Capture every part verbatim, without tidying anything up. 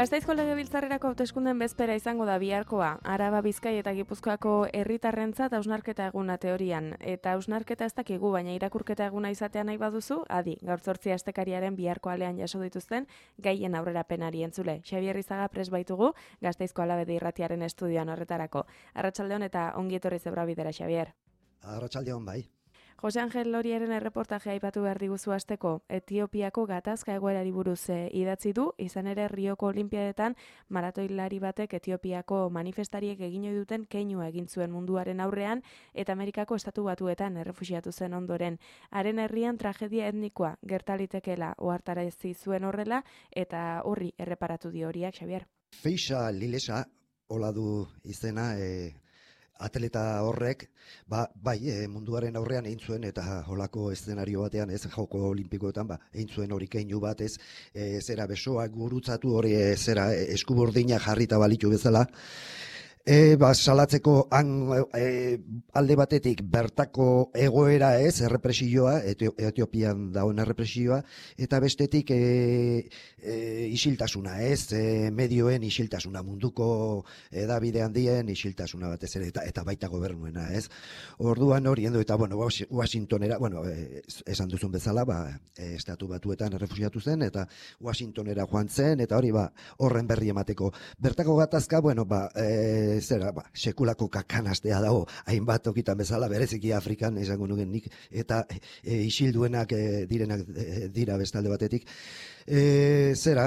Gasteizko Legebiltzarrerako hauteskundeen bezpera izango da biharkoa. Araba, Bizkai eta Gipuzkoako herritarrentzat hausnarketa eguna teorian. Eta hausnarketa ez dakigu, baina irakurketa eguna izatea nahi baduzu, adi, gaur zortzi astekariaren biharko alean jaso dituzten gaien aurrerapenari entzule. Xabier Izaga pres baitugu, Gasteizko Alabedi irratiaren estudioan horretarako. Arratsaldeon eta ongi etorri zebra bidera, Xabier. Arratsaldeon bai. Jose Angel Loriaren erreportajea aipatu behar diguzu hasteko. Etiopiako gatazka egoerari buruz e, idatzi du, izan ere Rioko Olinpiadetan maratoilari batek Etiopiako manifestariek egin ohi duten keinua egin zuen munduaren aurrean eta Amerikako estatu batuetan errefuxiatu zen ondoren. Haren herrian tragedia etnikoa gertalitekeela ohartarazi zuen horrela eta horri erreparatu dio horiak, Xabier. Feixa Lilesa, hola du izena, e... atleta horrek, ba, bai, e, munduaren aurrean egin zuen eta holako eszenario batean, ez joko olimpikoetan, ba, egin zuen hori keinu bat, ez, e, zera besoak gurutzatu hori, e, zera e, eskuburdina jarrita balitu bezala, E, ba, salatzeko han, e, alde batetik bertako egoera ez, errepresioa, Etio, Etiopian dagoen errepresioa, eta bestetik e, e, isiltasuna ez, e, medioen isiltasuna, munduko edabide handien isiltasuna batez ere, eta, eta baita gobernuena ez. Orduan hori endo, eta bueno, Washingtonera, bueno, e, esan duzun bezala, ba, e, estatu batuetan errefusiatu zen, eta Washingtonera joan zen, eta hori ba, horren berri emateko. Bertako gatazka, bueno, ba, e, zera, ba, sekulako kakanastea dago, hainbat tokitan bezala, bereziki Afrikan, esango nuken nik, eta e, isilduenak e, direnak e, dira bestalde batetik. E, zera,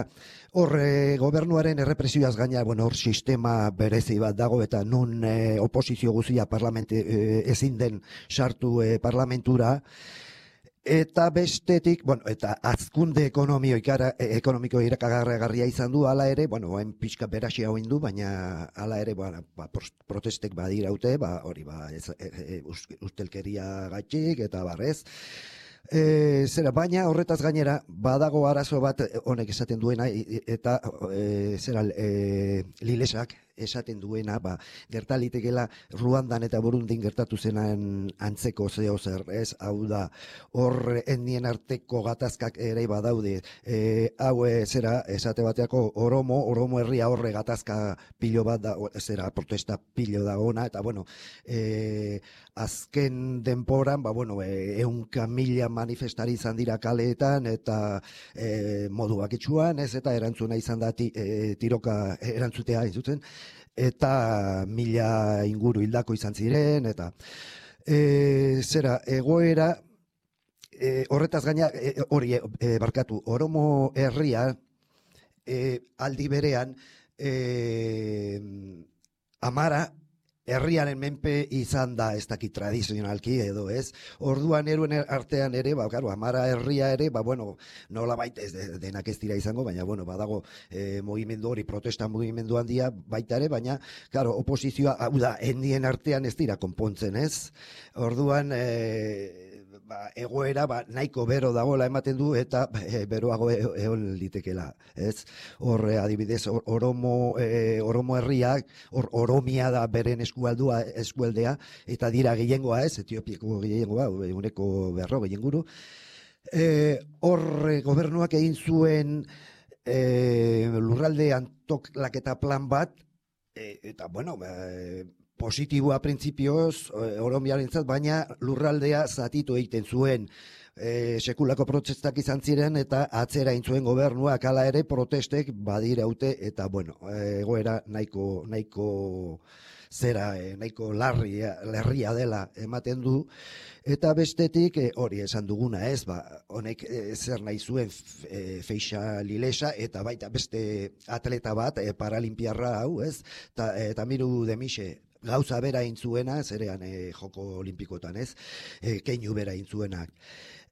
hor e, gobernuaren errepresioaz gaina, bueno, hor sistema berezi bat dago, eta nun e, oposizio guzia parlamente e, ezin den sartu e, parlamentura, eta bestetik, bueno, eta azkunde ekonomio ikara, ekonomiko irakagarria izan du, hala ere, bueno, hain pixka beraxia hoin du, baina hala ere, ba, ba, protestek badiraute, ba, hori, ba, ez, e, e, ustelkeria gaitxik, eta barrez. E, zera, baina horretaz gainera, badago arazo bat honek esaten duena, eta e, zera, e, Lilesak esaten duena, ba, gertalitekela Ruandan eta Burundin gertatu zenan antzeko zeo zer, ez, hau da, hor etnien arteko gatazkak ere badaude, e, hau e, zera, esate bateako Oromo, Oromo herria horre gatazka pilo bat da, zera, protesta pilo da ona, eta bueno, e, azken denporan, ba, bueno, e, eunka mila manifestari izan dira kaleetan, eta e, modu bakitsuan, ez, eta erantzuna izan da ti, e, tiroka erantzutea izuten, eta mila inguru hildako izan ziren, eta e, zera, egoera, e, horretaz gaina, e, hori, e, barkatu, Oromo herria, e, aldi berean, e, Amara, herriaren menpe izan da, ez dakit tradizionalki edo ez. Orduan eruen artean ere, ba, claro, Amara herria ere, ba, bueno, nola baita ez denak ez dira izango, baina, bueno, badago e, mugimendu hori, protesta mugimendu handia baita ere, baina, claro, oposizioa, hau da, endien artean ez dira konpontzen, ez? Orduan, e, ba, egoera ba, nahiko bero dagoela ematen du eta e, beroago egon litekela, ez? Hor adibidez or, Oromo e, Oromo herriak, hor Oromia da beren eskualdua eskualdea eta dira gehiengoa, ez? Etiopiako gehiengoa, ehuneko berrogei inguru. Eh, hor gobernuak egin zuen e, lurralde antolaketa plan bat e, eta bueno, e, positiboa printzipioz, Oromiarentzat, baina lurraldea zatitu egiten zuen. E, sekulako protestak izan ziren eta atzera intzuen gobernuak hala ere protestek badiraute eta bueno, egoera nahiko, nahiko zera, e, nahiko larria, larria dela ematen du. Eta bestetik e, hori esan duguna ez, ba, honek e, zer nahi zuen e, Feixa Lilesa eta baita beste atleta bat, e, paralimpiarra hau ez, eta e, Tamiru Demixe gauza bera intzuena, zerean e, joko olimpikotan ez, e, keinu bera intzuenak.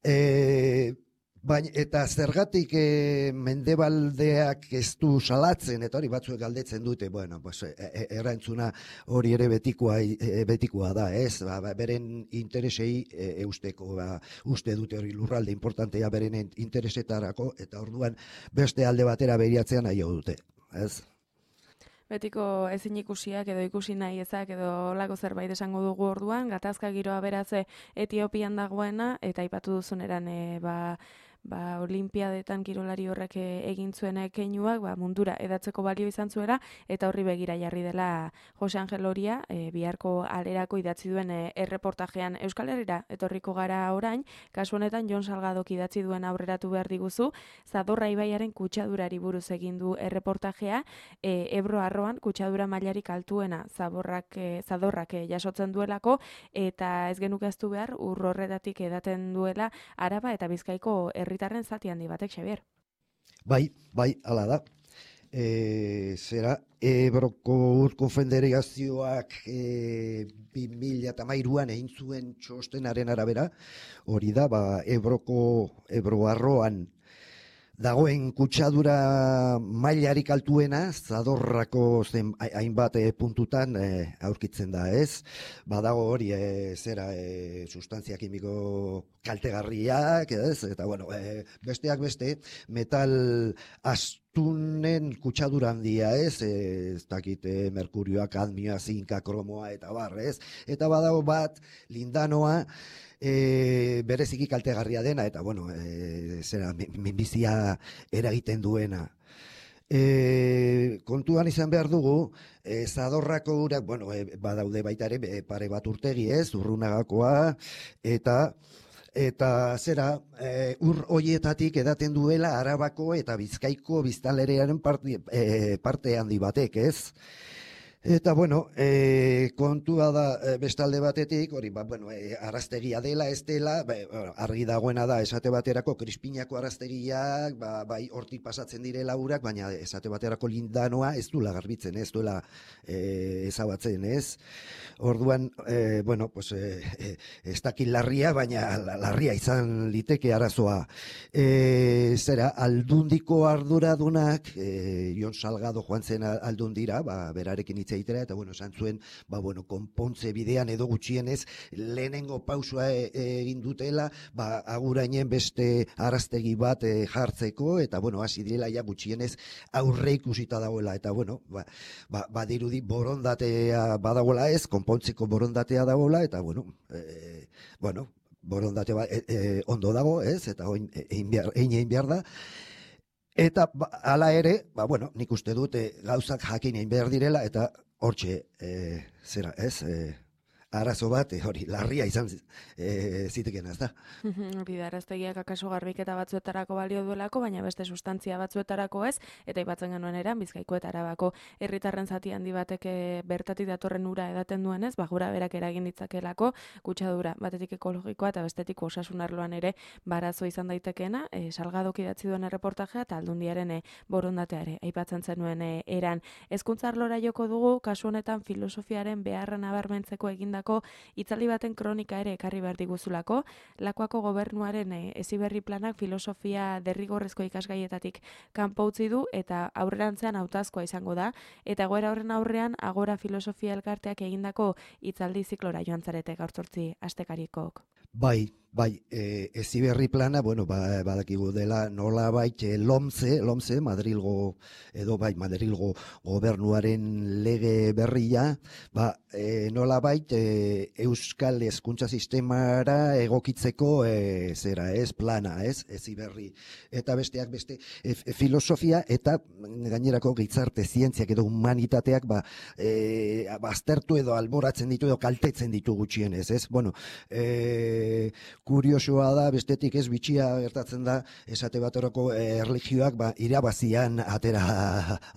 E, baina, eta zergatik e, mendebaldeak ez du salatzen, eta hori batzuek galdetzen dute, bueno, pues, e, e, erantzuna hori ere betikoa, e, betikoa da, ez, ba, beren interesei e, eusteko, ba, uste dute hori lurralde importantea beren interesetarako, eta orduan beste alde batera begiratzea nahi dute, ez? Betiko ezin ikusiak edo ikusi nahi ezak edo lako zerbait esango dugu orduan, gatazka giroa beraz Etiopian dagoena, eta aipatu duzuneran e, ba, ba, olimpiadetan kirolari horrek egin zuen keinuak ba, mundura edatzeko balio izan zuela, eta horri begira jarri dela Jose Angel Oria, e, biharko alerako idatzi duen e, erreportajean. Euskal Herrira etorriko gara orain, kasu honetan Jon Salgadok idatzi duen aurreratu behar diguzu, Zadorra ibaiaren kutsadurari buruz egin du erreportajea, e, Ebro arroan kutsadura mailarik altuena zaborrak, e, Zadorrak e, jasotzen duelako, eta ez genukaztu behar ur horretatik edaten duela Araba eta Bizkaiko herritarren zati handi batek, Xabier. Bai, bai, hala da. E, zera, Ebroko Ur Konfederazioak e, bi mila hamairuan egin zuen txostenaren arabera, hori da, ba, Ebroko, Ebro arroan dagoen kutsadura mailarik altuena, Zadorrako zen hainbat e, puntutan e, aurkitzen da, ez? Badago hori, e, zera, e, sustantzia kimiko kaltegarriak, ez? Eta, bueno, e, besteak beste, metal astunen kutsadura handia, ez? E, ez dakit, e, merkurioa, kadmioa, zinka, kromoa, eta bar, ez? Eta badago bat, lindanoa, E, bereziki kaltegarria dena, eta bueno, e, zera, minbizia eragiten duena. E, kontuan izan behar dugu, e, Zadorrako urak, bueno, e, badaude baita ere, e, pare bat urtegi ez, Urrunagakoa, eta eta zera, e, ur hoietatik edaten duela Arabako eta Bizkaiko biztanlerearen parte, e, parte handi batek, ez? Eta, bueno, e, kontua da e, bestalde batetik, hori, ba, bueno, e, araztegia dela, ez dela, ba, argi dagoena da, esate baterako krispinako araztegiak, ba, bai, hortik pasatzen direla urak, baina esate baterako lindanoa ez duela garbitzen, ez duela e, ezabatzen, ez? Orduan, e, bueno, pues, e, e, ez dakit larria, baina larria izan liteke arazoa. E, zera, aldundiko arduradunak, e, Jon Salgado joan zen aldundira, ba, berarekin hitz egitera, eta bueno, esan zuen, ba, bueno, konpontze bidean edo gutxienez lehenengo pausua e, e, egin dutela, ba, agurainen beste araztegi bat e, jartzeko, eta bueno, hasi direla ja gutxienez aurre ikusita dagoela, eta bueno, ba, ba, badirudi borondatea badagoela ez, konpontzeko borondatea dagoela, eta bueno, e, bueno, borondate ba, e, e, ondo dago, ez, eta oin egin behar, egin behar da. Eta ba, hala ere, ba, bueno, nik uste dute gauzak jakin egin behar direla, eta hortxe, e, zera, ez, e, arazo bat, e, hori, larria izan e, ziteken, ez da. Hori da, araztegiak akaso garbiketa batzuetarako balio duelako, baina beste sustantzia batzuetarako ez, eta aipatzen genuen eran, Bizkaiko eta Arabako herritarren zati handi batek bertatik datorren ura edaten duenez, ba, gura berak eragin ditzakelako, kutsadura, batetik ekologikoa eta bestetik osasun arloan ere barazo izan daitekeena, e, Salgadok idatzi duen erreportajea eta aldundiaren e, borondateare, aipatzen zenuen e, eran. Hezkuntza arlora joko dugu, kasu honetan filosofiaren beharra nabarmentzeko eginda itzaldi baten kronika ere ekarri behar diguzulako, Lakuako gobernuaren e, heziberri planak filosofia derrigorrezko ikasgaietatik kanpo utzi du eta aurrerantzean hautazkoa izango da, eta egoera horren aurrean Agora Filosofia Elkarteak egindako itzaldi ziklora joan zarete gaur zortzi astekarikok. Bai, bai, e, heziberri plana, bueno, ba, badakigu dela nolabait e, lomze, lomze, Madrilgo, edo bai, Madrilgo gobernuaren lege berria, ba, e, nolabait e, Euskal Hezkuntza Sistemara egokitzeko e, zera, ez, plana, ez, heziberri. Eta besteak beste, e, filosofia eta gainerako gizarte zientziak edo humanitateak, ba, e, baztertu edo alboratzen ditu edo kaltetzen ditu gutxienez, ez? Bueno, e, kuriosoa da, bestetik ez bitxia gertatzen da, esate baterako erlijioak ba, irabazian atera,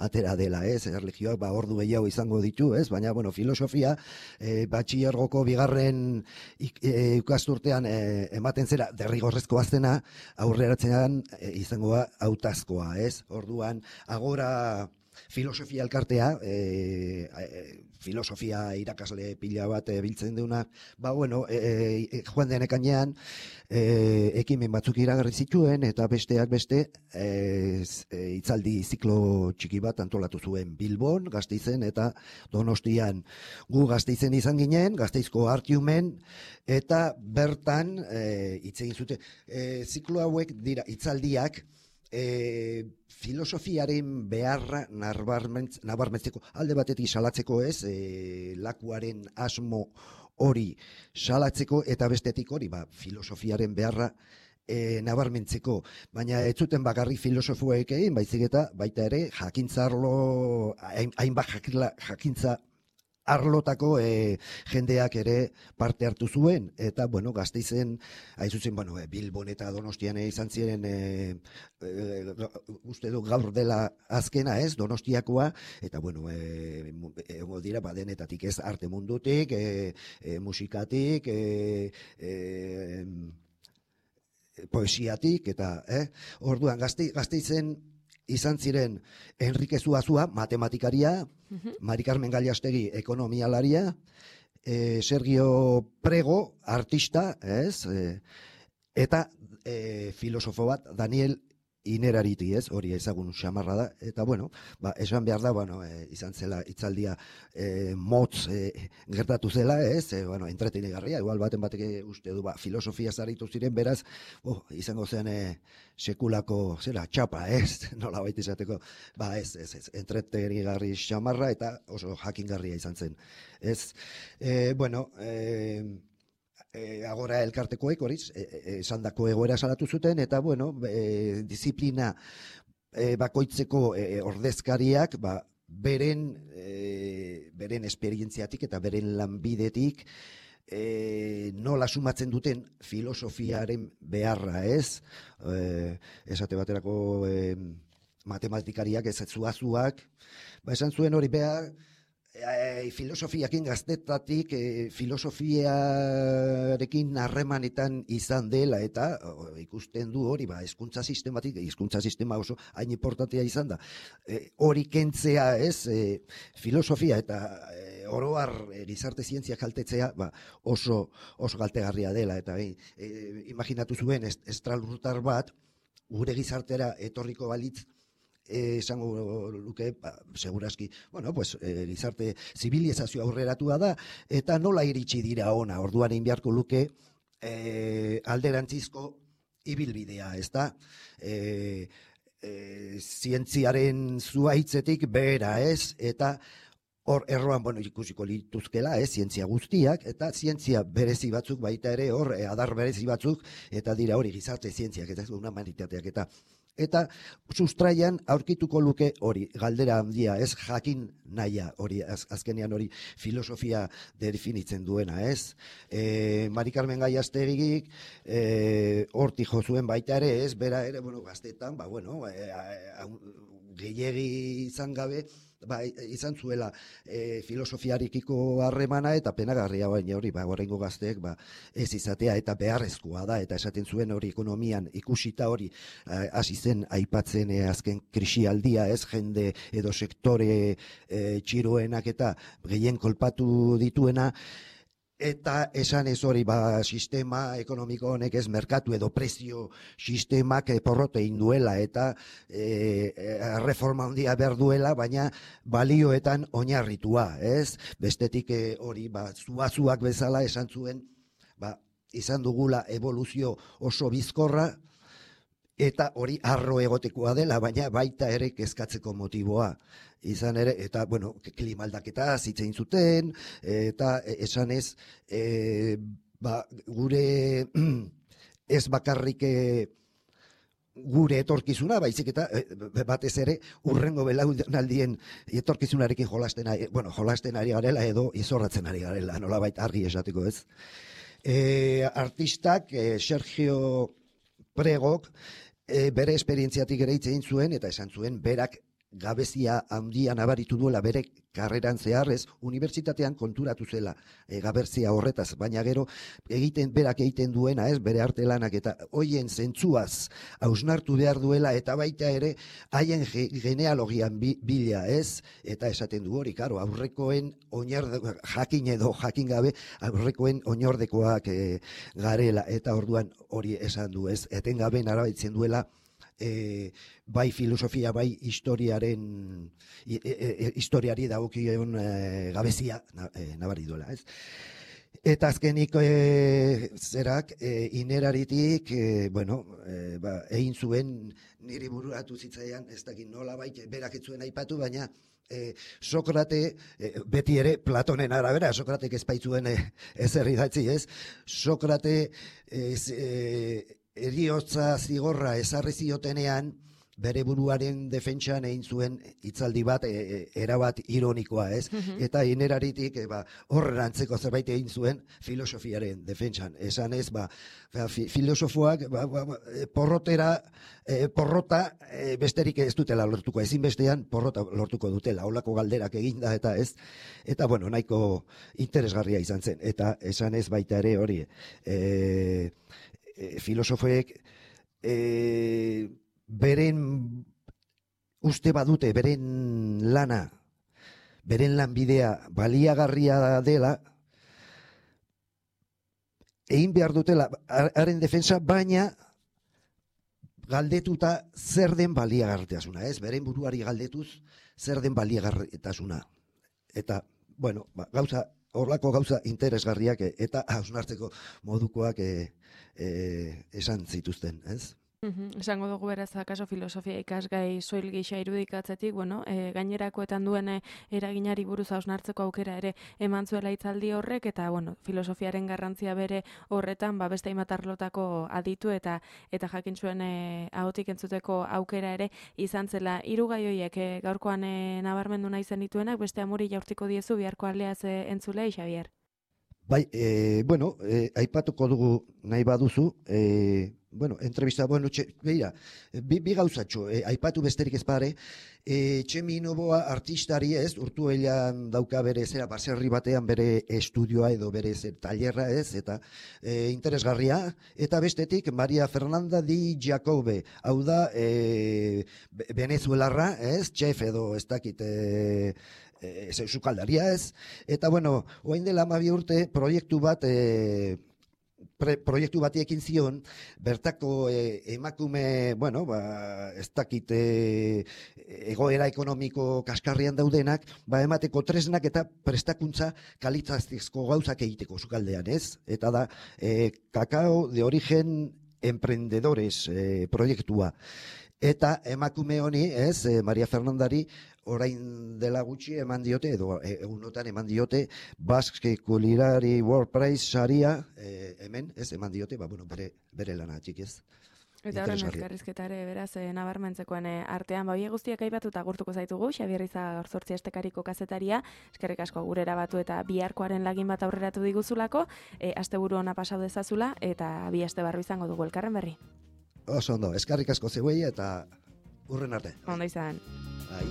atera dela, ez? Erlijioak ba, ordu gehiago izango ditu, ez? Baina, bueno, filosofia, e, batxillergoko bigarren ikasturtean e, ematen zera derrigorrezkoa zena, aurreratzean e, izango da hautazkoa, ez? Orduan, Agora Filosofia Elkartea, e, e, filosofia irakasle pila bat e, biltzen duna, ba, bueno, e, e, joan den ekainean, e, ekimen batzuk iragarri zituen, eta besteak beste, e, e, itzaldi ziklo txiki bat antolatu zuen Bilbon, Gasteizen, eta Donostian. Gu Gasteizen izan ginen, Gasteizko Artiumen, eta bertan, e, hitz egin zuten, e, ziklo hauek dira itzaldiak, E, filosofiaren beharra nabarmentzeko, alde batetik salatzeko ez, e, Lakuaren asmo hori salatzeko, eta bestetik hori, ba, filosofiaren beharra e, nabarmentzeko, baina ez zuten bakarrik filosofoek egin, baizik eta baita ere jakintza arlo, hain- hainbat jakila- jakintza arlotako e, jendeak ere parte hartu zuen, eta, bueno, Gasteizen, hain zuzen, bueno, e, Bilbon eta Donostian e, izan ziren, e, e, uste du gaur dela azkena, ez, Donostiakoa, eta, bueno, e, mu- egongo dira, badenetatik ez, arte mundutik, e, e, musikatik, e, e, poesiatik, eta, eh? Orduan, Gazte, Gasteizen izan ziren Enrique Zuazua, matematikaria, Mhm. Mari Carmen Gallastegi, ekonomialaria, eh, Sergio Prego, artista, ez? Eh, eta eh, filosofo bat, Daniel Inerariti, ez? Hori ezagun xamarra da. Eta, bueno, ba, esan behar da, bueno, eh, izan zela hitzaldia eh, motz eh, gertatu zela, ez? Eh, bueno, entretenigarria, igual baten batek uste du, ba, filosofia zaritu ziren, beraz, oh, izango zen eh, sekulako, zera, txapa, ez? Nola baita izateko, ba, ez, ez, ez, entretenigarri xamarra eta oso jakingarria izan zen, ez? Eh, bueno, eh, E, agora elkartekoek horiz, esandako egoera salatu zuten, eta, bueno, e, disiplina e, bakoitzeko e, ordezkariak, ba, beren, e, beren esperientziatik eta beren lanbidetik, e, nola sumatzen duten filosofiaren beharra, ez? E, esate baterako e, matematikariak, ez zuazuak, ba, esan zuen hori behar, E, filosofiakin gaztetatik e, filosofiarekin harremanetan izan dela eta o, ikusten du hori, ba, hezkuntza sistematik, hezkuntza sistema oso hain importantea izan da. E, hori kentzea, ez, e, filosofia eta e, oroar e, gizarte zientzia kaltetzea, ba, oso, oso kaltegarria dela, eta e, e, imaginatu zuen est, estralurtar bat, gure gizartera etorriko balitz, Eh, esango luke, ba, segurazki, bueno, pues, eh, gizarte zibilizazio aurreratua da, eta nola iritsi dira ona, orduan egin beharko luke eh, alderantzizko ibilbidea, ez da? Eh, eh, zientziaren zuaitzetik behera, ez? Eta hor erroan, bueno, ikusiko lituzkela, ez, zientzia guztiak, eta zientzia berezi batzuk baita ere, hor, eh, adar berezi batzuk, eta dira hori gizarte zientziak, eta ez humanitateak, eta eta sustraian aurkituko luke hori, galdera handia, ez jakin naia hori, az, azkenean hori filosofia definitzen duena, ez? E, Mari Carmen Gallastegik e, hortik jo zuen baita ere, ez, bera ere, bueno, gaztetan, ba, bueno, e, gehiegi izan gabe, ba, izan zuela e, filosofiarekiko harremana eta penagarria baina hori, ba, oraingo gazteek ba, ez izatea eta beharrezkoa da, eta esaten zuen hori ekonomian ikusita hori hasi zen aipatzen e, azken krisialdia, ez, jende edo sektore e, txiroenak eta gehien kolpatu dituena, eta esan ez hori, ba, sistema ekonomiko honek ez merkatu edo prezio sistemak porrote induela eta e, reforma handia behar duela, baina balioetan oinarritua, ez? Bestetik e, hori, ba, zuazuak bezala esan zuen, ba, izan dugula evoluzio oso bizkorra, eta hori arro egotekoa dela, baina baita ere kezkatzeko motiboa. Izan ere, eta, bueno, klimaldaketa zitzein zuten, eta esan ez, e, ba, gure ez bakarrik e, gure etorkizuna, baizik eta batez ere urrengo belaunaldien etorkizunarekin jolasten ari, bueno, jolasten ari garela edo izorratzen ari garela, nolabait argi esateko, ez. E, artistak, e, Sergio Pregok, e, bere esperientziatik ere hitz egin zuen, eta esan zuen berak gabezia handia nabaritu duela bere karreran zeharrez, unibertsitatean konturatu zela e, gabezia horretaz, baina gero egiten berak egiten duena, ez, bere arte lanak eta hoien zentzuaz hausnartu behar duela, eta baita ere haien genealogian bi, bila, ez, eta esaten du hori, karo, aurrekoen oinarde, jakin edo jakin gabe, aurrekoen oinordekoak e, garela, eta orduan hori esan du, ez, etengabe narabaitzen duela, E, bai filosofia, bai historiaren e, e, historiari dagokion e, gabezia na, e, nabari duela, ez? Eta azkenik e, zerak e, Ineraritik e, bueno, e, ba, egin zuen niri bururatu zitzaian, ez dakit nola baita berak ez zuen aipatu, baina e, Sokrate, e, beti ere Platonen arabera, Sokratek ez baitzuen e, ezer idatzi, ez? Sokrate e, e, eriotza zigorra ezarri ziotenean, bere buruaren defentsan egin zuen hitzaldi bat, e, e, erabat ironikoa, ez? Mhm. Eta ineraritik, e, ba, horren antzeko zerbait egin zuen filosofiaren defentsan. Esan ez, ba, ba, fi, filosofoak ba, ba, ba, e, porrotera, e, porrota e, besterik ez dutela lortuko, ezinbestean porrota lortuko dutela, holako galderak eginda eta ez, eta bueno, nahiko interesgarria izan zen. Eta esan ez baita ere hori, e, e, filosofoek e, beren uste badute, beren lana, beren lanbidea baliagarria dela, egin behar dutela haren defensa, baina galdetuta zer den baliagarritasuna, ez? Beren buruari galdetuz zer den baliagarritasuna. Eta, bueno, ba, gauza, horlako gauza interesgarriak e, eta hausnartzeko modukoak e, e, esan zituzten, ez? Mhm, esango dugu beraz, akaso filosofia ikasgai soil gisa irudikatzetik, bueno, e, gainerakoetan duen e, eraginari buruz hausnartzeko aukera ere eman zuela hitzaldi horrek, eta bueno, filosofiaren garrantzia bere horretan, ba, beste hainbat arlotako aditu eta eta jakin zuen e, ahotik entzuteko aukera ere izan zela. Hiru gai horiek e, gaurkoan e, nabarmendu nahi zen dituenak, beste amori jaurtiko diezu biharko aldeaz e, entzulei, Xabier. Bai, e, bueno, e, aipatuko dugu nahi baduzu, e, bueno, entrevista, bueno, txe, beira, bi, bi gauzatxo, e, aipatu besterik ez pare, e, Txemi Noboa artistari ez, Urtuellan dauka bere zera, baserri batean bere estudioa edo bere zer, tailerra ez, eta e, interesgarria, eta bestetik Maria Fernanda Di Giacobbe, hau da, e, venezuelarra, ez, chef edo ez dakit, e, e, sukaldaria ez, eta bueno, oain dela hamabi urte proiektu bat, e, Pre, proiektu bati ekin zion, bertako e, emakume, bueno, ba, ez dakit e, egoera ekonomiko kaskarrian daudenak, ba, emateko tresnak eta prestakuntza kalitatezko gauzak egiteko sukaldean, ez? Eta da, e, kakao de origen emprendedores e, proiektua. Eta emakume honi, ez, e, Maria Fernandari, orain dela gutxi eman diote, edo egunotan eman diote, Basque Culinary World Prize saria, e, hemen, ez, eman diote, ba, bueno, bere, bere lana txikiz. Eta horren elkarrizketare beraz e, nabarmentzekoen e, artean, ba, horiek guztiak aipatuta agurtuko zaitugu, Xabier Iza gaur zortzi estekariko kazetaria, eskerrik asko gurera batu eta biharkoaren lagin bat aurreratu diguzulako, e, asteburu ona pasau dezazula, eta bi aste barru izango dugu elkarren berri. Oso ondo, eskerrik asko zeuei eta urren arte. Ondo izan. Bai.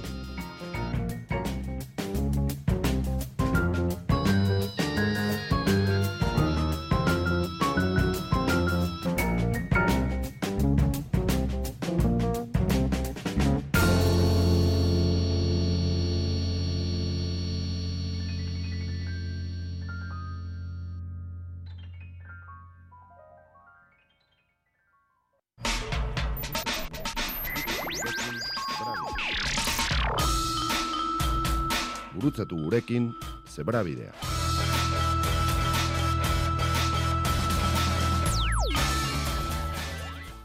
Gurutzatu gurekin Zebrabidea.